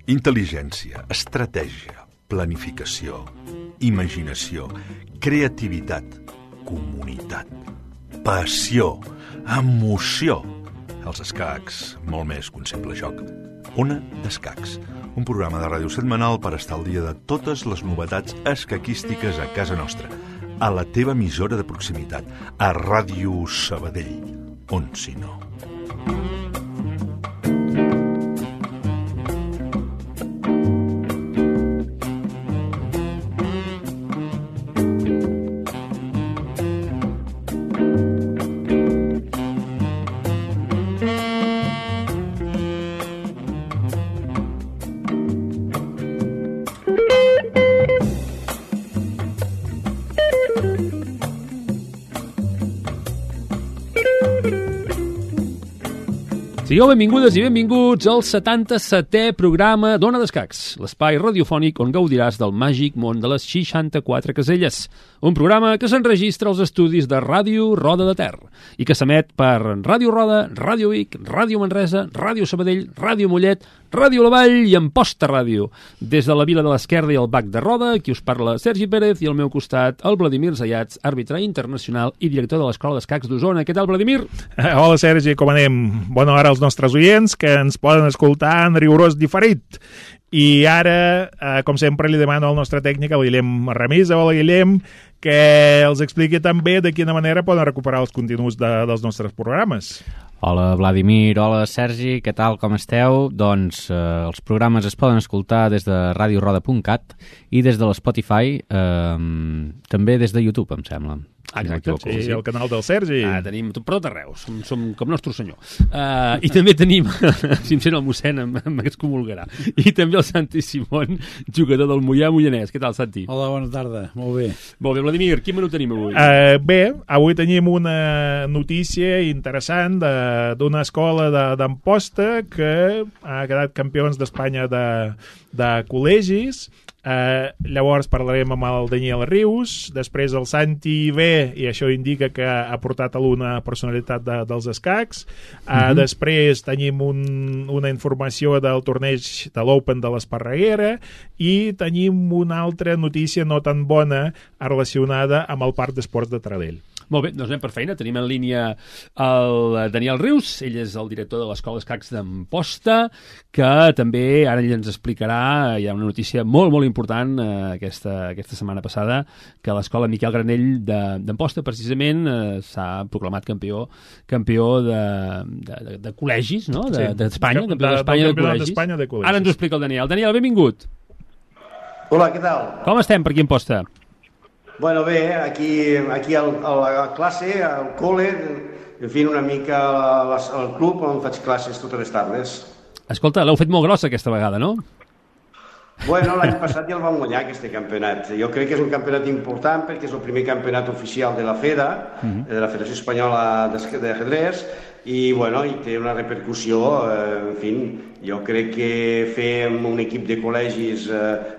Intel·ligència, estratègia, planificació, imaginació, creativitat, comunitat, passió, emoció. Els escacs, molt més que un simple joc. Ona d'Escacs, un programa de ràdio setmanal per estar al dia de totes les novetats escaquístiques a casa nostra, a la teva emissora de proximitat, a Ràdio Sabadell, on si no. Sigueu benvingudes i benvinguts al 77è programa d'Ona d'Escacs, l'espai radiofònic on gaudiràs del màgic món de les 64 caselles. Un programa que s'enregistra als estudis de Ràdio Roda de Ter i que s'emet per Ràdio Roda, Ràdio Vic, Ràdio Manresa, Ràdio Sabadell, Ràdio Mollet, Ràdio La Vall i Amposta Ràdio. Des de la Vila de l'Esquerda i el Bac de Roda, qui us parla Sergi Pérez i al meu costat el Vladimir Zayats, àrbitre internacional i director de l'Escola d'Escacs d'Osona. Què tal, Vladimir? Hola, Sergi, com anem? Bona hora als nostres oients que ens poden escoltar en rigorós diferit. I ara, com sempre, li demano al nostre tècnic, el Guillem Ramisa. Hola, Guillem, que els expliqui també de quina manera poden recuperar els continguts dels nostres programes. Hola, Vladimir, hola, Sergi, què tal, com esteu? Doncs els programes es poden escoltar des de radioroda.cat i des de l'Spotify, també des de YouTube, em sembla. Exacte, sí, el canal del Sergi. Tenim per tot arreu, som com nostre senyor. I també tenim, si em sent el mossèn, m'excomulgarà. I també el Santi Simón, jugador del Moià-Moianès. Què tal, Santi? Hola, bona tarda, molt bé. Molt bé, Vladimir, quin menú tenim avui? Bé, avui tenim una notícia interessant d'una escola d'Amposta que ha quedat campions d'Espanya de col·legis. Llavors parlarem amb el Daniel Rius, després el Santi ve i això indica que ha portat alguna personalitat dels escacs. Després tenim una informació del torneig de l'Open de l'Esparreguera i tenim una altra notícia no tan bona relacionada amb el Parc d'Esports de Taradell. Molt bé, doncs anem per feina. Tenim en línia el Daniel Rius, ell és el director de l'Escola d'Escacs d'Amposta, que també ara ell ens explicarà, hi ha una notícia molt, molt important aquesta setmana passada, que l'Escola Miquel Granell d'Amposta precisament s'ha proclamat campió de col·legis, no? D'Espanya, campió d'Espanya de col·legis. Ara ens ho explica el Daniel. Daniel, benvingut. Hola, què tal? Com estem per aquí a Amposta? Bueno, bé, aquí a la classe, al col·le, en fi, una mica al club on faig classes totes les tardes. Escolta, l'heu fet molt grossa aquesta vegada, no? Bueno, l'any passat ja el vam guanyar, aquest campionat. Jo crec que és un campionat important perquè és el primer campionat oficial de la FEDA, de la Federació Espanyola d'Ajedrez, i bueno, i té una repercussió, en fi, jo crec que fer amb un equip de col·legis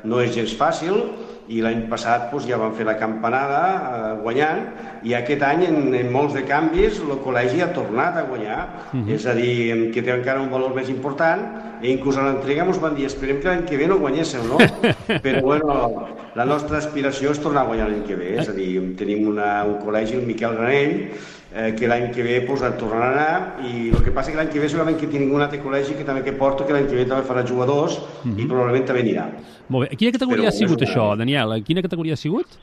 no és gens fàcil, i l'any passat ja van fer la campanada guanyant, i aquest any en molts de canvis el col·legi ha tornat a guanyar, és a dir, que té encara un valor més important, i inclús a l'entrega ens van dir esperem que l'any que ve no guanyésseu, no? Però bueno, la nostra aspiració és tornar a guanyar l'any que ve, és a dir, tenim un col·legi, el Miquel Granell, que l'any que ve et tornarà a anar, i el que passa que l'any que ve segurament que tinc un altre col·legi que també que porto, que l'any que ve també farà jugadors i probablement també anirà. Molt bé. A quina categoria ha sigut això, Daniel? A quina categoria ha sigut?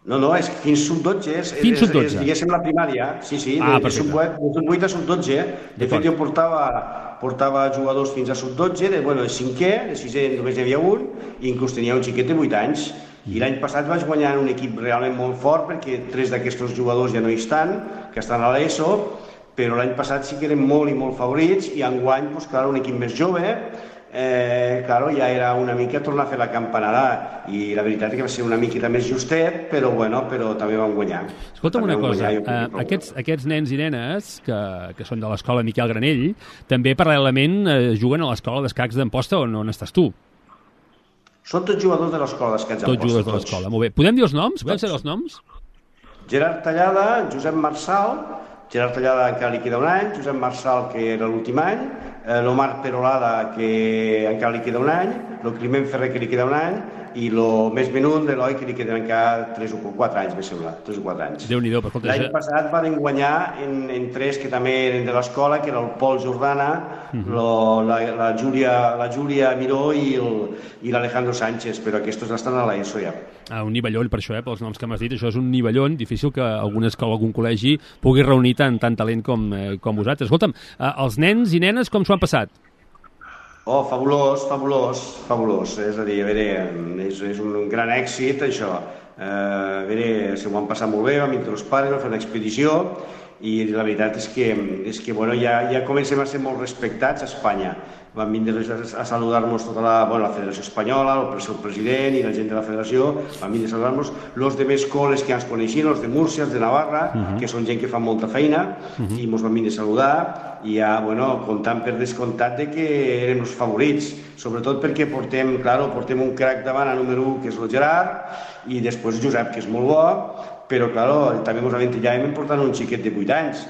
No, és fins sub-12, fins sub-12. Diguéssim la primària, sí, de sub-8 a sub-12. De fet, jo portava jugadors fins a sub-12, de cinquè, de sisè només hi havia un, i inclús tenia un xiquet de 8 anys. I l'any passat vaig guanyar un equip realment molt fort perquè 3 d'aquests jugadors ja no hi estan, que estan a l'ESO, però l'any passat sí que eren molt i molt favorits i enguany, un equip més jove, ja era una mica tornar a fer la campanada i la veritat és que va ser una miqueta més justet, però també vam guanyar. Escolta'm una cosa, aquests nens i nenes que són de l'escola Miquel Granell també paral·lelament juguen a l'escola d'escacs d'Amposta on estàs tu. Són tots jugadors de l'escola d'escacs Tots jugadors de l'escola, molt bé. Podem dir els noms? Podem saber els noms? Gerard Tallada, Josep Marçal, Gerard Tallada encara li queda un any, Josep Marçal, que era l'últim any, l'Omar Perolada, que encara li queda un any, el Climent Ferrer, que li queda un any, i el més menut, l'Eloi, que li queden encara 3 o 4 anys, me sembla, 3 o 4 anys. Déu-n'hi-do, per escolta. L'any passat van guanyar en 3 que també eren de l'escola, que era el Pol Jordana, la Júlia Miró i l'Alejandro Sánchez, però aquests estan a l'ESO ja. Un nivellón, per això, pels noms que m'has dit, això és un nivellón, difícil que alguna escola, algun col·legi pugui reunir tant talent com vosaltres. Escolta'm, els nens i nenes com s'ho han passat? Oh, fabulós. És a dir, a veure, és un gran èxit, això. A veure, se m'ho han passat molt bé, vam vindre els pares, vam fer una expedició, i la veritat és que bueno, ja comencem a ser molt respectats a Espanya. Van vindre a saludar-nos tota la Federació Espanyola, el seu president i la gent de la Federació, van vindre a saludar-nos. Els de més coles que ens coneixien, els de Múrcia, els de Navarra, que són gent que fa molta feina, i ens van vindre a saludar, i ja, bueno, comptant per descomptat de que érem els favorits, sobretot perquè portem un crac davant a número 1, que és el Gerard, i després Josep, que és molt bo, però, claro, també ens aventillàvem portant un xiquet de 8 anys.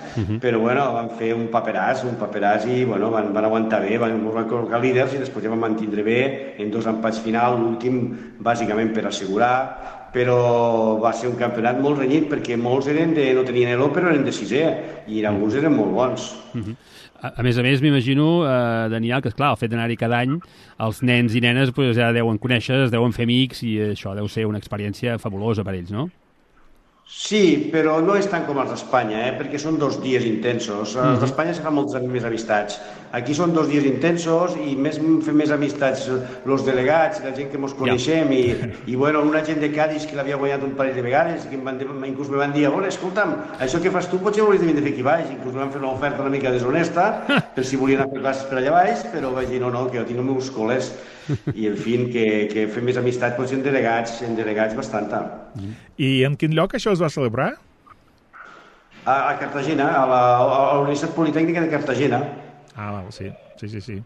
Però, bueno, van fer un paperàs i, bueno, van aguantar bé, ens van col·locar líders i després ja van mantindre bé en 2 empats final, l'últim, bàsicament per assegurar, però va ser un campionat molt renyit perquè molts no tenien elo, però eren de 6è, i alguns eren molt bons. A més, m'imagino, Daniel, que, esclar, el fet d'anar-hi cada any, els nens i nenes ja deuen conèixer, es deuen fer amics, i això deu ser una experiència fabulosa per ells, no? Sí, però no és tant com els d'Espanya, perquè són 2 dies intensos. Els d'Espanya se fan moltes més amistats. Aquí són 2 dies intensos i fem més amistats els delegats, la gent que ens coneixem, i bueno, una gent de Cádiz que l'havia guanyat un parell de vegades, que inclús me van dir, escolta'm, això que fas tu potser hauries de vindre a fer aquí baix. Inclús me van fer una oferta una mica deshonesta per si volien fer classes per allà baix, però vaig dir, no, que jo tinc els meus col·les, i en fi, que fem més amistat potser en delegats bastanta. I en quin lloc això es va celebrar? A Cartagena, a la Universitat Politècnica de Cartagena. Sí.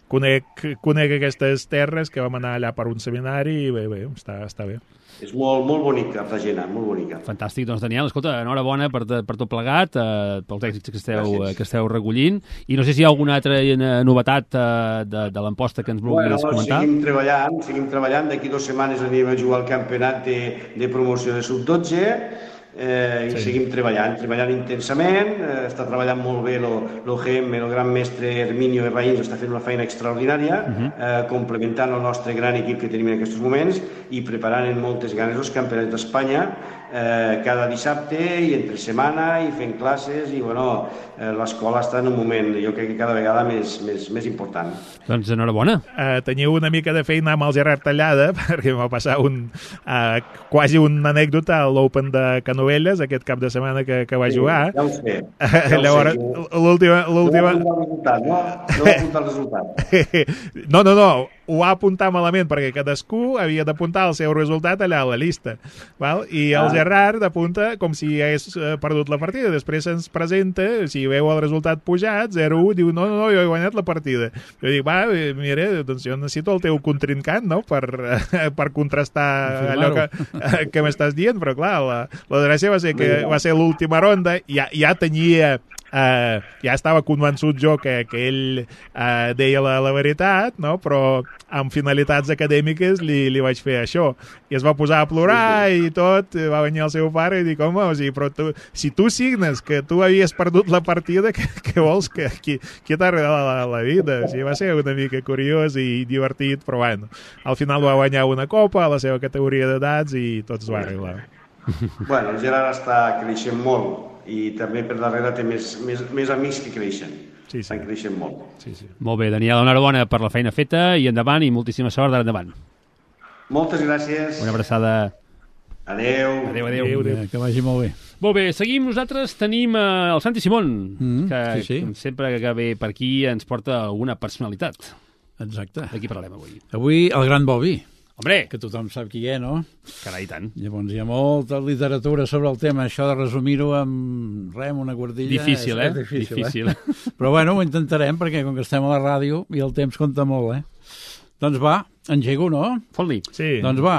Conec aquestes terres, que vam anar allà per un seminari, i bé, està bé. És molt bonic, Cartagena, molt bonica. Fantàstic, doncs, Daniel, escolta, enhorabona per tot plegat, pels èxits que esteu recollint, i no sé si hi ha alguna altra novetat de l'emposta que ens vulguis comentar. Seguim treballant, d'aquí 2 setmanes anirem a jugar al campionat de promoció de sub-12, i seguim treballant intensament, està treballant molt bé el GM, el gran mestre Herminio Herraïns, està fent una feina extraordinària, complementant el nostre gran equip que tenim en aquests moments i preparant amb moltes ganes els campionats d'Espanya cada dissabte i entre setmana i fent classes, i bueno, l'escola està en un moment, jo crec que cada vegada més important. Doncs enhorabona. Teniu una mica de feina amb el Gerard Tallada, perquè va passar quasi una anècdota a l'Open de Canovelles aquest cap de setmana que va jugar. Ja ho sé. Llavors, l'última... No va apuntar el resultat. No, ho va apuntar malament, perquè cadascú havia d'apuntar el seu resultat allà a la llista. Val? I el Gerard apunta com si hagués perdut la partida. Després se'ns presenta, si veu el resultat pujat, 0-1, diu, no, jo he guanyat la partida. Jo dic, mira, doncs jo necessito el teu contrincant, no?, per contrastar allò que m'estàs dient, però clar, la gràcia va ser que va ser l'última ronda, ja tenia... ja estava convençut jo que ell deia la veritat, no? Però amb finalitats acadèmiques li vaig fer això, i es va posar a plorar i tot, va venir el seu pare i dic, home, però si tu signes que tu havies perdut la partida, què vols? Qui t'ha regalat la vida? O sigui, va ser una mica curiós i divertit, però bueno, al final va guanyar una copa a la seva categoria d'edats i tot es va arreglar. Bueno, el Gerard està creixent molt i també per darrere té més amics que creixen. Sí. Estan creixent molt. Sí. Molt bé, Daniel, enhorabona per la feina feta i endavant, i moltíssima sort d'ara endavant. Moltes gràcies. Una abraçada. Adéu. Adéu. Que vagi molt bé. Molt bé, seguim. Nosaltres tenim el Santi Simón, que sempre que ve per aquí ens porta alguna personalitat. Exacte. De qui parlarem avui? Avui el gran Bobby. Hombre! Que tothom sap qui és, no? Carai, tant. Llavors hi ha molta literatura sobre el tema. Això de resumir-ho amb una guardilla... Difícil, Difícil. Però bueno, ho intentarem, perquè com que estem a la ràdio i el temps compta molt, Doncs va, Engego, no? Fot-li. Sí. Doncs va,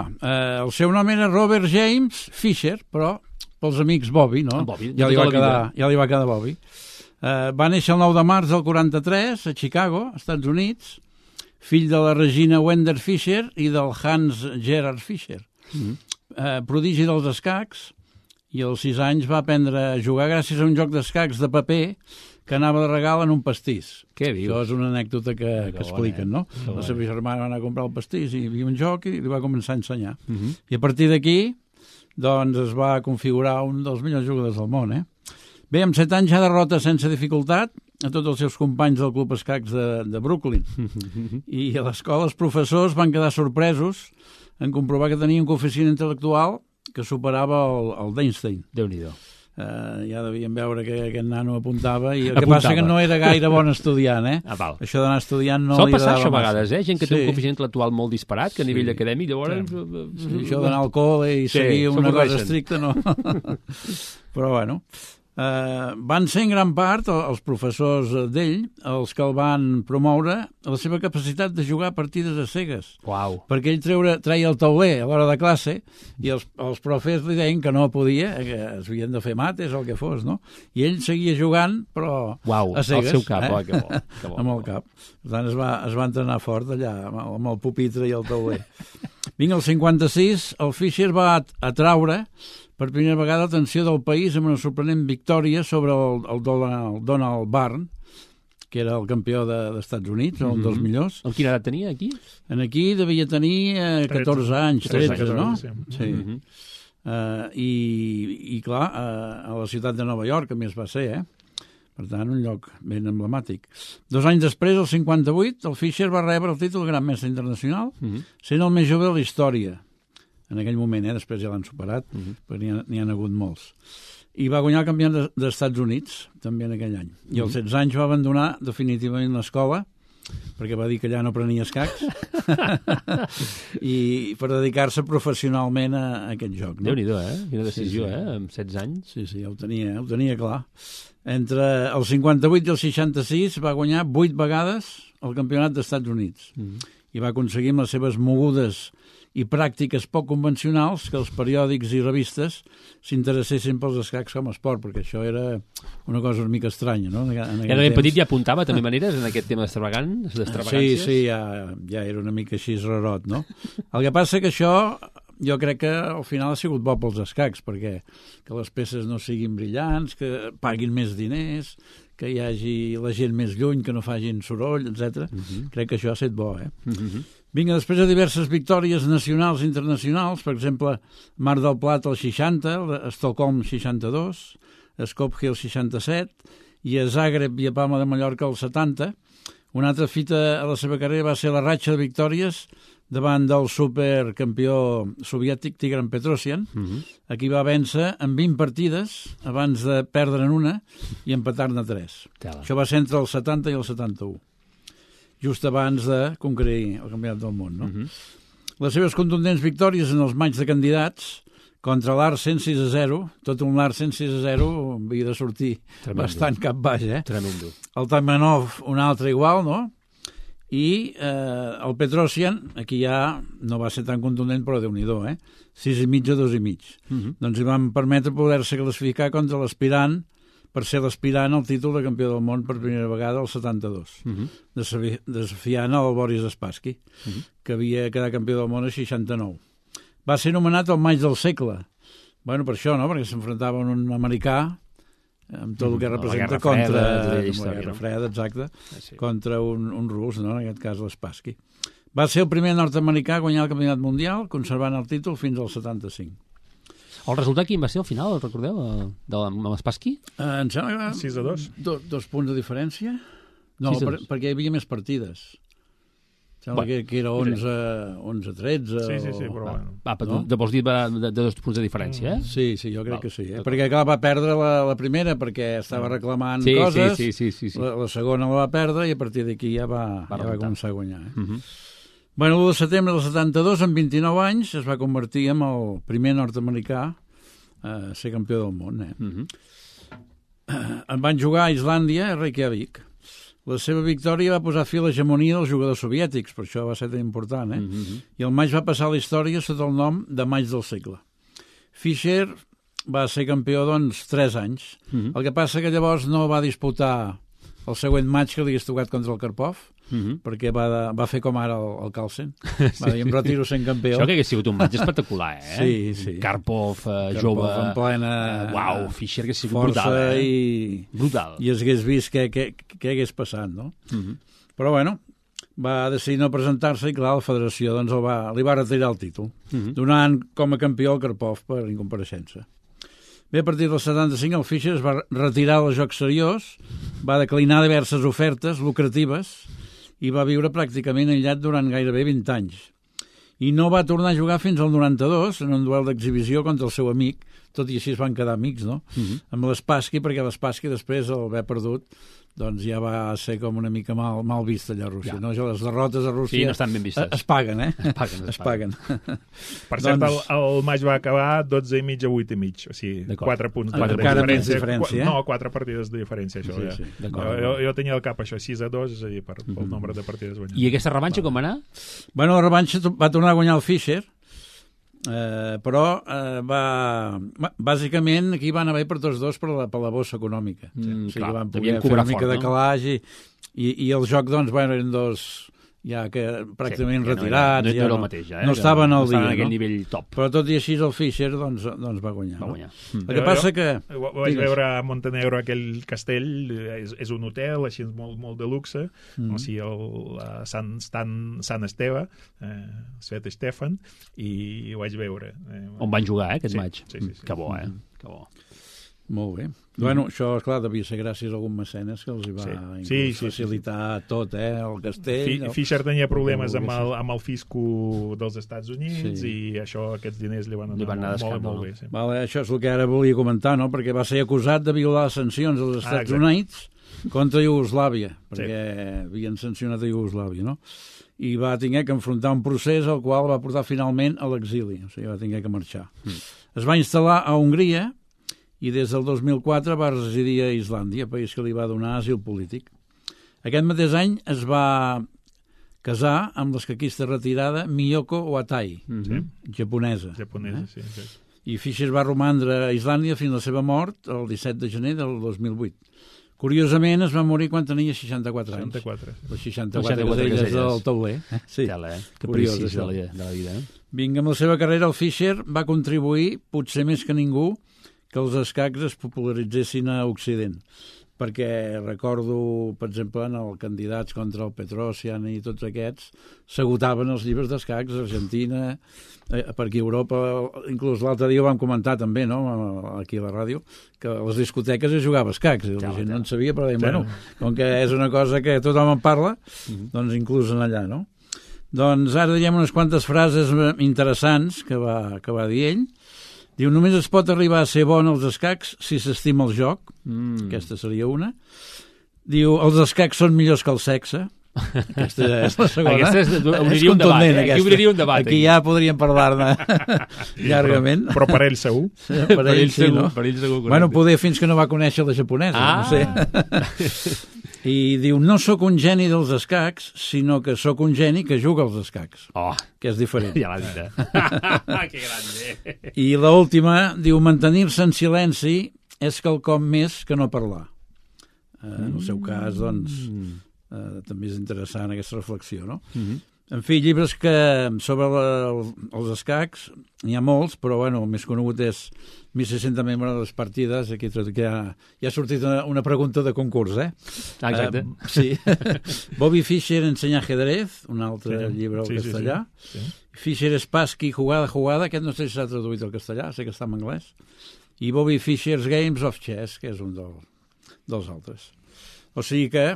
el seu nom era Robert James Fisher, però pels amics Bobby, no? Bobby, ja, li va tota la quedar, ja li va quedar Bobby. Va néixer el 9 de març del 43 a Chicago, Estats Units, fill de la Regina Wender Fisher i del Hans Gerhard Fisher. Prodigi dels escacs, i als 6 anys va aprendre a jugar gràcies a un joc d'escacs de paper que anava de regal en un pastís. Què dius? Això és una anècdota que expliquen, no? La seva germana va anar a comprar el pastís i hi havia un joc i li va començar a ensenyar. I a partir d'aquí, doncs, es va configurar un dels millors jugadors del món, Bé, amb 7 anys ja derrota sense dificultat a tots els seus companys del Club Escacs de Brooklyn. I a l'escola els professors van quedar sorpresos en comprovar que tenia un coeficient intel·lectual que superava el d'Einstein. Déu-n'hi-do. Ja devien veure que aquest nano apuntava i el que passa que no era gaire bon estudiant, val. Això d'anar estudiant no Sol li passar agradava això a massa. vegades, gent que té un coeficient intel·lectual molt disparat, que a nivell acadèmic, llavors... Sí, això d'anar al col·le i seguir una cosa estricta, no. Però bueno... van ser en gran part els professors d'ell els que el van promoure a la seva capacitat de jugar partides a cegues. Uau. Perquè ell treia el tauler a l'hora de classe i els profes li deien que no podia, que es havien de fer mates o el que fos, no? I ell seguia jugant, però a cegues. Al seu cap, que bo. Amb el cap. Per tant, es va entrenar fort allà, amb el pupitre i el tauler. Vinga, el 56, el Fischer va atraure per primera vegada l'atenció del país amb una sorprenent victòria sobre el Donald Byrne, que era el campió d'Estats Units, un dels millors. Amb quina edat tenia, aquí? Aquí devia tenir 14 anys, 13, no? Sí. I clar, a la ciutat de Nova York, a més va ser, Per tant, un lloc ben emblemàtic. 2 anys després, el 58, el Fischer va rebre el títol de Gran Mestre Internacional, sent el més jove de la història. En aquell moment, després ja l'han superat, perquè n'hi ha hagut molts. I va guanyar el campionat dels Estats Units, també en aquell any. I als 16 anys va abandonar definitivament l'escola, perquè va dir que allà no prenia escacs, i per dedicar-se professionalment a aquest joc. No? Déu-n'hi-do, Quina decisió, amb 16 anys. Sí, ja ho tenia clar. Entre el 58 i el 66 va guanyar 8 vegades el campionat dels Estats Units. I va aconseguir amb les seves mogudes i pràctiques poc convencionals que els periòdics i revistes s'interessessin pels escacs com a esport, perquè això era una cosa una mica estranya, no? Ja de ben petit ja apuntava també maneres en aquest tema d'extravagàncies? Sí, ja era una mica així rarot, no? El que passa que això jo crec que al final ha sigut bo pels escacs, perquè que les peces no siguin brillants, que paguin més diners, que hi hagi la gent més lluny, que no facin soroll, etc. Crec que això ha estat bo, Vinga, després de diverses victòries nacionals i internacionals, per exemple, Mar del Plata el 60, Estocolm 62, Skopje el 67, i a Zagreb i a Palma de Mallorca el 70. Una altra fita a la seva carrera va ser la ratxa de victòries davant del supercampió soviètic Tigran Petrosyan. Aquí va vèncer en 20 partides abans de perdre'n una i empatar-ne 3. Això va ser entre el 70 i el 71. Just abans de conquerir el campionat del món, no? Les seves contundents victòries en els matxs de candidats contra l'Arsen 6-0, tot un l'Arsen 6-0 havia de sortir bastant cap baix, Tremendo. El Taimanov un altre igual, no? I el Petrosyan, aquí ja no va ser tan contundent, però Déu-n'hi-do, 6,5 a 2,5. Doncs li van permetre poder-se classificar contra l'aspirant, per ser l'aspirant al títol de campió del món per primera vegada al 72, desafiant el Boris Spassky, que havia quedat campió del món al 69. Va ser nomenat el maig del segle. Bueno, per això, no? Perquè s'enfrontava un americà amb tot el que representa contra la Guerra Freda, exacte, contra un rus, no? En aquest cas l'Spassky. Va ser el primer nord-americà a guanyar el campionat mundial, conservant el títol fins al 75. El resultat quin va ser al final, el recordeu, amb Spassky? Em sembla que 6-2. 2 punts de diferència. No, perquè hi havia més partides. Sembla que era 11-13. Sí, però bueno. Vols dir de 2 punts de diferència, Sí, jo crec que sí. Perquè clar, va perdre la primera perquè estava reclamant coses, sí. La segona la va perdre i a partir d'aquí ja va començar a guanyar. Bueno, l'1 de setembre del 72, amb 29 anys, es va convertir en el primer nord-americà a ser campió del món. En van jugar a Islàndia, a Reykjavik. La seva victòria va posar fi a l'hegemonia dels jugadors soviètics, per això va ser tan important, I el maig va passar a la història sota el nom de maig del segle. Fischer va ser campió, 3 anys. El que passa que llavors no va disputar el següent maig que li hagués tocat contra el Karpov, perquè va fer com ara el Carlsen. Va dir, em retiro sent campió. Això que hagués sigut un maig espectacular, Sí. Karpov, jove... en plena... Fischer que ha sigut brutal, brutal. I es hagués vist què hagués passat, no? Però, bueno, va decidir no presentar-se i, clar, la federació li va retirar el títol, donant com a campió el Karpov per incompareixença. Bé, a partir del 75 el Fischer es va retirar del joc seriós, va declinar diverses ofertes lucratives i va viure pràcticament aïllat durant gairebé 20 anys. I no va tornar a jugar fins al 92 en un duel d'exhibició contra el seu amic, tot i així es van quedar amics, no? Amb l'Spassky, perquè l'Spassky després el haver perdut doncs ja va ser com una mica mal vist allà a Rússia. No? Les derrotes a Rússia no estan ben vistes. Es paguen, Es paguen. Per cert, el maig va acabar 12,5 a 8,5, o sigui, 4 punts de diferència. No, 4 partides de diferència, això. Sí. Jo tenia al cap això, 6-2, és a dir, pel nombre de partides guanyades. I aquesta revanxa com va anar? Bueno, la revanxa va tornar a guanyar el Fischer, però bàsicament aquí van haver per tots dos per la bossa econòmica. O sigui, van poder fer una mica de calaix i el joc, eren dos ja que pràcticament retirats. No era el mateix, ja. No estaven al dia. No estaven a aquell nivell top. Però tot i així el Fischer va guanyar. El que passa que... Ho vaig veure a Montenegro, aquell castell, és un hotel, així molt de luxe, o sigui, el Sant Esteve, Svet Stefan, i ho vaig veure. On van jugar, aquest maig? Sí. Que bo, Que bo. Molt bé. Bueno, això, esclar, devia ser gràcies a algun mecenes que els hi va facilitar tot, el castell. Fischer tenia problemes amb el fisco dels Estats Units i aquests diners li van anar molt bé. Vale, això és el que ara volia comentar, no? Perquè va ser acusat de violar les sancions dels Estats Units contra Iugoslàvia, perquè havien sancionat a Iugoslàvia, no? I va haver que enfrontar un procés al qual va portar finalment a l'exili, o sigui, va haver que marxar. Es va instal·lar a Hongria i des del 2004 va residir a Islàndia, país que li va donar asil polític. Aquest mateix any es va casar amb l'escaquista retirada Miyoko Watai, japonesa. Sí. I Fischer va romandre a Islàndia fins a la seva mort el 17 de gener del 2008. Curiosament, es va morir quan tenia 64 anys. 64. Les 64 caselles del tauler. Sí, que precís de la vida. Vinga, amb la seva carrera, el Fischer va contribuir, potser més que ningú, que els escacs es popularitzessin a Occident. Perquè recordo, per exemple, en els candidats contra el Petrosian i tots aquests, s'agotaven els llibres d'escacs a Argentina, per aquí a Europa, inclús l'altre dia ho vam comentar també, no?, aquí a la ràdio, que a les discoteques es jugava escacs, i la gent no en sabia, però deien, bueno, com que és una cosa que tothom en parla, doncs inclús en allà, no? Doncs ara diem unes quantes frases interessants que va dir ell. Diu, només es pot arribar a ser bon als escacs si s'estima el joc. Aquesta seria una. Diu, els escacs són millors que el sexe. Aquesta és la segona. Aquesta obriria un debat. Aquí obriria un debat. Aquí ja podríem parlar-ne llargament. Però per ell segur. Per ell sí, no? Per ell segur. Bueno, poder fins que no va conèixer la japonesa, no sé. I diu, no sóc un geni dels escacs, sinó que sóc un geni que juga als escacs. Que és diferent. Ja l'ha dit, Que grande. I l'última, diu, mantenir-se en silenci és quelcom més que no parlar. En el seu cas, doncs, també és interessant aquesta reflexió, no? En fi, llibres sobre els escacs, n'hi ha molts, però bueno, el més conegut és 1.600 membres de les partides, aquí ja ha sortit una pregunta de concurs, Exacte. Sí. Bobby Fischer ensenya ajedrez, un altre llibre al castellà. Sí. Fischer Spassky, jugada, aquest no sé si s'ha traduït al castellà, sé que està en anglès. I Bobby Fischer's Games of Chess, que és un dels altres. O sigui que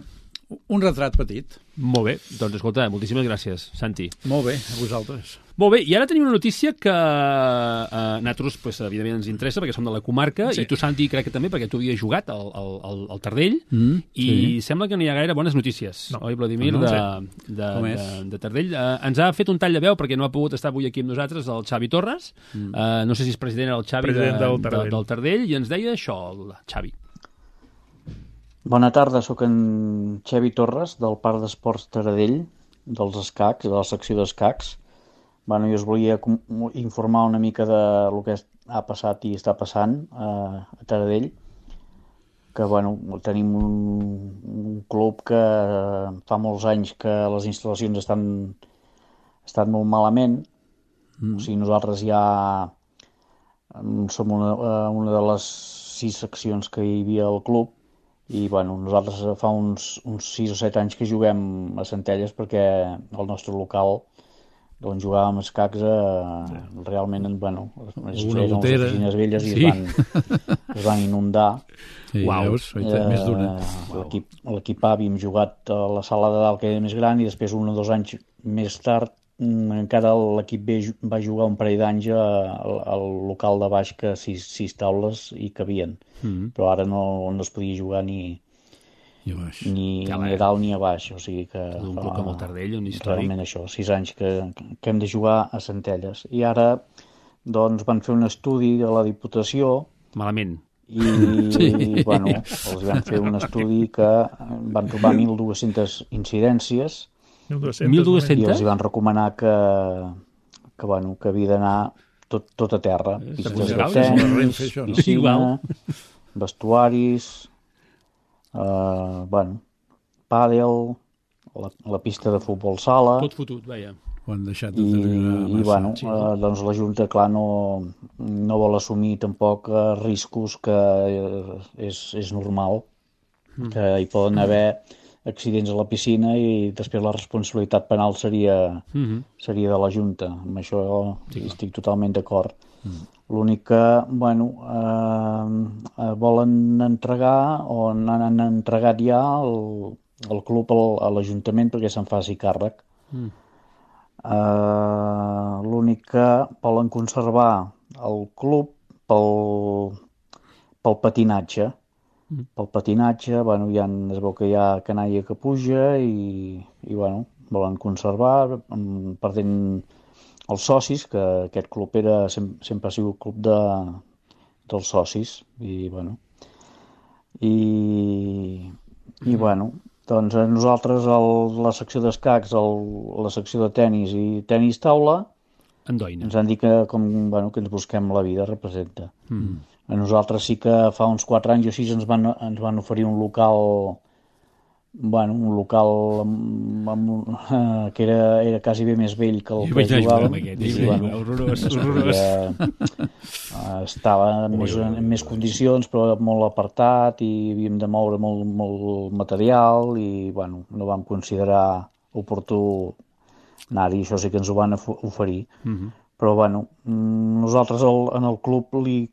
un retrat petit. Molt bé, doncs escolta, moltíssimes gràcies, Santi. Molt bé, a vosaltres. Molt bé, i ara tenim una notícia que a nosaltres, pues, evidentment, ens interessa, perquè som de la comarca, i tu, Santi, crec que també, perquè tu havies jugat al Tardell, i sembla que no hi ha gaire bones notícies, oi, Vladimir, de Tardell. Ens ha fet un tall de veu, perquè no ha pogut estar avui aquí amb nosaltres, el Xavi Torres, no sé si és president el Xavi del Tardell, i ens deia això, el Xavi. Bona tarda, sóc en Xevi Torres, del Parc d'Esports Taradell, dels escacs, de la secció d'escacs. Bueno, jo us volia informar una mica de lo que ha passat i està passant a Taradell, que bueno, tenim un club que fa molts anys que les instal·lacions estan molt malament. O sigui, nosaltres ja som una de les 6 seccions que hi havia al club i bueno, nosaltres fa uns 6 o 7 anys que juguem a Centelles perquè el nostre local on jugàvem escacs realment, bueno, les oficines velles i es van inundar. Sí, veus, més d'una. L'equip A havíem jugat a la sala de dalt, que era més gran, i després 1 o 2 anys més tard encara l'equip B va jugar un parell d'anys al local de baix, que 6 taules hi cabien, però ara no es podia jugar ni a dalt ni a baix, o sigui que un club com el Taradell, un històric. Realment això, 6 anys que hem de jugar a Centelles, i ara doncs van fer un estudi de la Diputació malament i bueno, els van fer un estudi que van trobar 1.200 incidències 1.200? I els van recomanar que havia d'anar tot a terra. Pistes de tenis, piscina, vestuaris, pàdel, la pista de futbol sala. Tot fotut, veia. Ho han deixat I bueno, doncs la Junta, clar, no vol assumir tampoc riscos, que és normal, que hi poden haver accidents a la piscina i després la responsabilitat penal seria de la Junta. Amb això estic totalment d'acord. L'únic que, bueno, volen entregar o han entregat ja el club a l'Ajuntament perquè se'n faci càrrec. L'únic que volen conservar el club pel patinatge. Pel patinatge, bueno, es veu que hi ha canalla que puja i bueno, volen conservar, perdent els socis, que aquest club sempre ha sigut club dels socis, i bueno, i bueno, doncs nosaltres la secció d'escacs, la secció de tenis i tenis taula, ens han dit que ens busquem la vida, representa. A nosaltres sí que fa uns 4 anys o 6 ens van oferir un local que era quasi bé més vell que el que jugàvem. Horrorós. Estava en més condicions, però molt apartat, i havíem de moure molt material i bueno, no vam considerar oportú anar-hi. Això sí que ens ho van oferir. Però bueno, nosaltres en el club li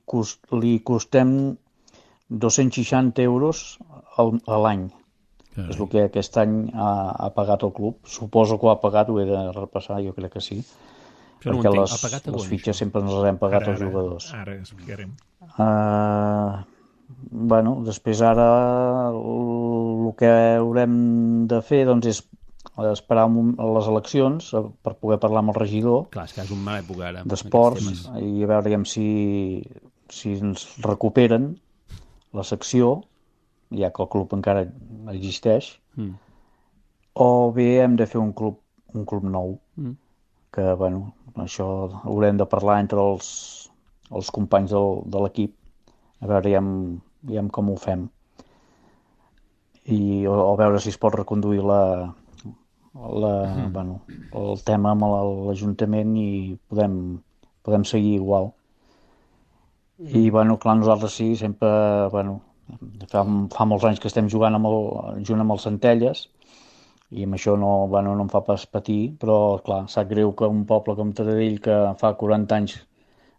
costem 260 euros a l'any. És el que aquest any ha pagat el club. Suposo que ho ha pagat, ho he de repassar, jo crec que sí. Perquè les fitxes sempre ens les hem pagat als jugadors. Ara explicarem. Bueno, després ara el que haurem de fer doncs és esperar les eleccions per poder parlar amb el regidor. Clar, és que és un mal època ara d'esports, i a veure si ens recuperen la secció, ja que el club encara existeix, o bé hem de fer un club nou, que bueno, això haurem de parlar entre els companys de l'equip, a veure ja com ho fem, i a veure si es pot reconduir el tema amb l'Ajuntament i podem seguir igual. I bueno, clar, nosaltres sí, sempre fa molts anys que estem jugant junt amb els Centelles, i amb això no em fa pas patir, però clar, sap greu que un poble com Taradell, que fa 40 anys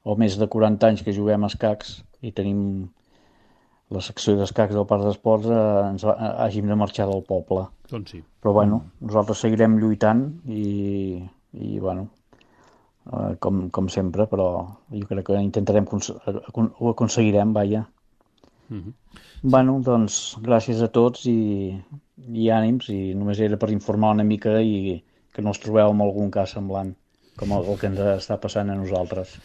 o més de 40 anys que juguem a escacs i tenim la secció d'escacs del Parc d'Esports, hàgim de marxar del poble. Doncs sí. Però bueno, nosaltres seguirem lluitant i bueno, com sempre, però jo crec que intentarem, ho aconseguirem, vaja. Bueno, doncs gràcies a tots i ànims, i només era per informar una mica i que no us trobeu amb algun cas semblant com el que ens està passant a nosaltres.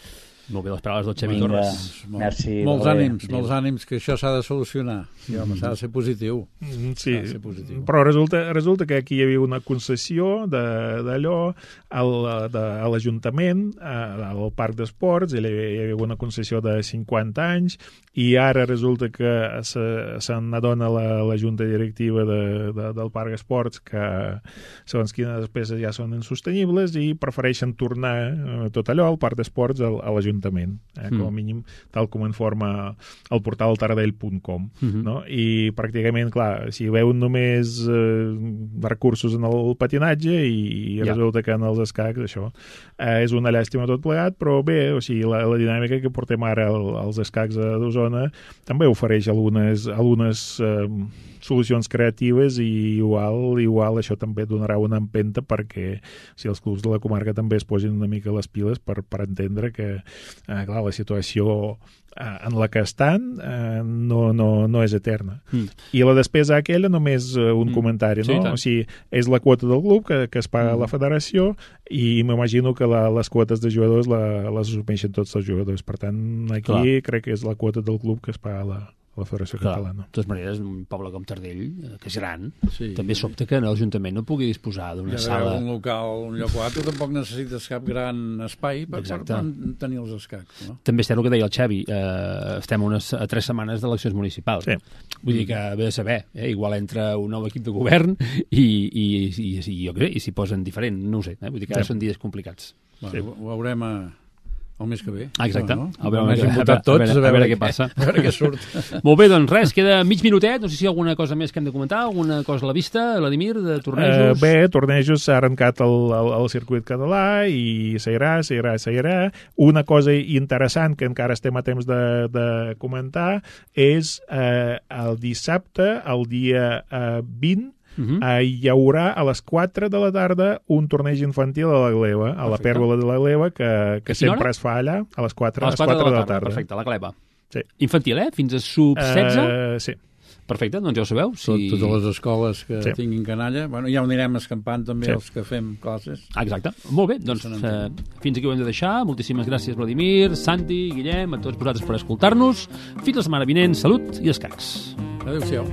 Molt bé, les paraules del Xavi Vinga, Torres. merci. Molts ànims, que això s'ha de solucionar. Sí, home, s'ha de ser positiu. Sí, S'ha de ser positiu. però resulta que aquí hi havia una concessió d'allò a l'Ajuntament, al Parc d'Esports, hi havia una concessió de 50 anys, i ara resulta que se n'adona la junta directiva del Parc d'Esports que segons quines despeses ja són insostenibles i prefereixen tornar tot allò al Parc d'Esports a l'Ajuntament, com a mínim tal com informa el portal taradell.com, no? I pràcticament, clar, si veuen només recursos en el patinatge i resulta que en els escacs això és una llàstima tot plegat, però bé, o sigui, la dinàmica que portem ara als escacs d'Osona també ofereix algunes solucions creatives i igual això també donarà una empenta perquè si els clubs de la comarca també es posin una mica les piles per entendre que clar, la situació en la que estan no és eterna. I la despesa aquella només un comentari, no? Sí, o sigui, és la quota del club que es paga a la federació i m'imagino que les quotes de jugadors les assumeixen tots els jugadors. Per tant, aquí crec que és la quota del club que es paga a la Federació Catalana. De totes maneres, un poble com Tardell, que és gran, també sobta que l'Ajuntament no pugui disposar d'una sala... Un local, un lloc o altre, tampoc necessites cap gran espai per tenir els escacs. No? També és el que deia el Xavi, estem a 3 setmanes d'eleccions municipals. Sí. Vull dir que ve de saber, igual entra un nou equip de govern i s'hi posen diferent, no ho sé, vull dir que ara són dies complicats. Bueno, ho veurem el mes que ve. Exacte. No? A veure què passa. A veure què surt. Molt bé, doncs res, queda mig minutet. No sé si hi ha alguna cosa més que hem de comentar, alguna cosa a la vista, Vladimir, de tornejos? Bé, tornejos s'ha arrencat el circuit català i seguirà. Una cosa interessant que encara estem a temps de comentar és el dissabte, el dia 20, hi haurà a les 4 de la tarda un torneig infantil a la Gleva, a la Pèrgola de la Gleva, que sempre es fa allà a les 4 de la tarda. Perfecte, a la Gleva. Sí. Infantil, fins a sub-16? Sí. Perfecte, doncs ja ho sabeu. Totes les escoles que tinguin canalla, bueno, ja ho anirem escampant també els que fem classes. Exacte, molt bé, doncs fins aquí ho hem de deixar. Moltíssimes gràcies, Vladimir, Santi, Guillem, a tots vosaltres per escoltar-nos. Fins la setmana vinent, salut i escacs. Adéu-siau.